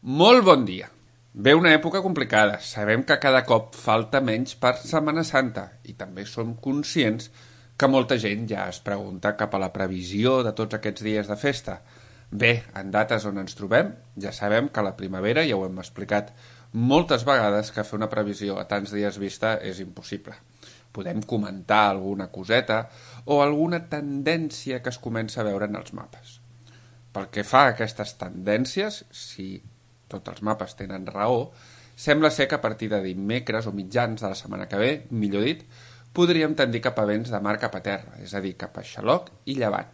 Molt bon dia. Ve una època complicada. Sabem que cada cop falta menys per Setmana Santa i també som conscients que molta gent ja es pregunta cap a la previsió de tots aquests dies de festa. Bé, en dates on ens trobem, ja sabem que a la primavera, ja ho hem explicat moltes vegades, que fer una previsió a tants dies vista és impossible. Podem comentar alguna coseta o alguna tendència que es comença a veure en els mapes. Pel que fa a aquestes tendències, si tots els mapes tenen raó, sembla ser que a partir de dimecres o mitjans de la setmana que ve, millor dit, podríem tendir cap a vents de mar cap a terra, és a dir, cap a Xaloc i Llevant.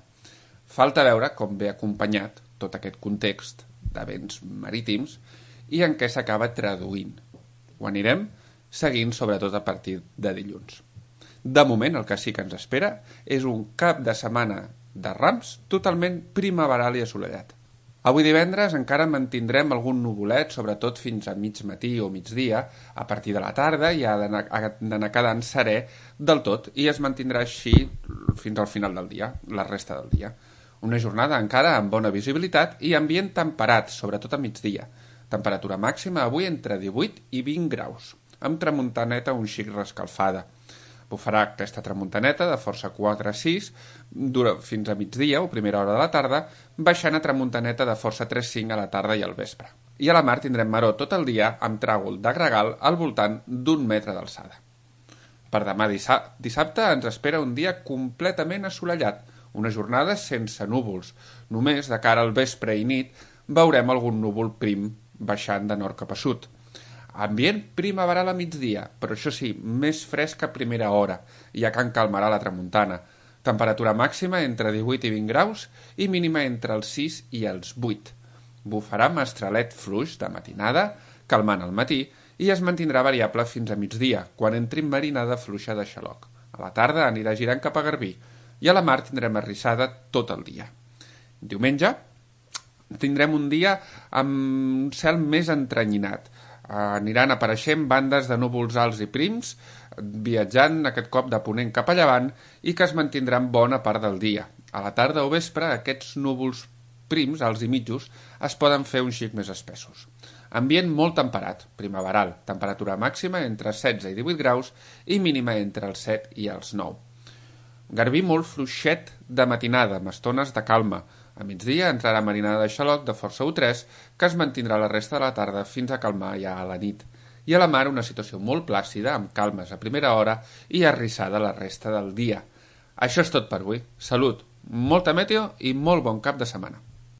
Falta veure com ve acompanyat tot aquest context de vents marítims i en què s'acaba traduint. Ho anirem seguint sobretot a partir de dilluns. De moment el que sí que ens espera és un cap de setmana de Rams totalment primaveral i assolellat. Avui divendres encara mantindrem algun nuvolet, sobretot fins a mig matí o migdia. A partir de la tarda ja ha d'anar quedant serè del tot i es mantindrà així fins al final del dia, la resta del dia. Una jornada encara amb bona visibilitat i ambient temperat, sobretot a migdia. Temperatura màxima avui entre 18 i 20 graus, amb tramuntaneta un xic rescalfada. Bufarà aquesta tramuntaneta de força 4 a 6 fins a migdia o primera hora de la tarda, baixant a tramuntaneta de força 3-5 a la tarda i al vespre. I a la mar tindrem maror tot el dia amb tràgol de gregal al voltant d'1 metre d'alçada. Per demà dissabte ens espera un dia completament assolellat, una jornada sense núvols. Només de cara al vespre i nit veurem algun núvol prim baixant de nord cap a sud. Ambient primaveral a migdia, però això sí, més fresc a primera hora, ja que en calmarà la tramuntana. Temperatura màxima entre 18 i 20 graus i mínima entre els 6 i els 8. Bufarà mestralet fluix de matinada, calmant al matí, i es mantindrà variable fins a migdia, quan entri marinada fluixa de Xaloc. A la tarda anirà girant cap a Garbí, i a la mar tindrem arrissada tot el dia. Diumenge tindrem un dia amb un cel més entrenyinat. Aniran apareixent bandes de núvols alts i prims, viatjant aquest cop de ponent cap a llevant i que es mantindran bona part del dia. A la tarda o vespre aquests núvols prims, alts i mitjos, es poden fer un xic més espessos. Ambient molt temperat, primaveral, temperatura màxima entre 16 i 18 graus i mínima entre els 7 i els 9. Garbí molt fluixet de matinada, amb estones de calma. A migdia entrarà marinada de Xaloc de força 1-3, que es mantindrà la resta de la tarda fins a calmar ja a la nit. I a la mar una situació molt plàcida, amb calmes a primera hora i arrissada la resta del dia. Això és tot per avui. Salut, molta meteo i molt bon cap de setmana.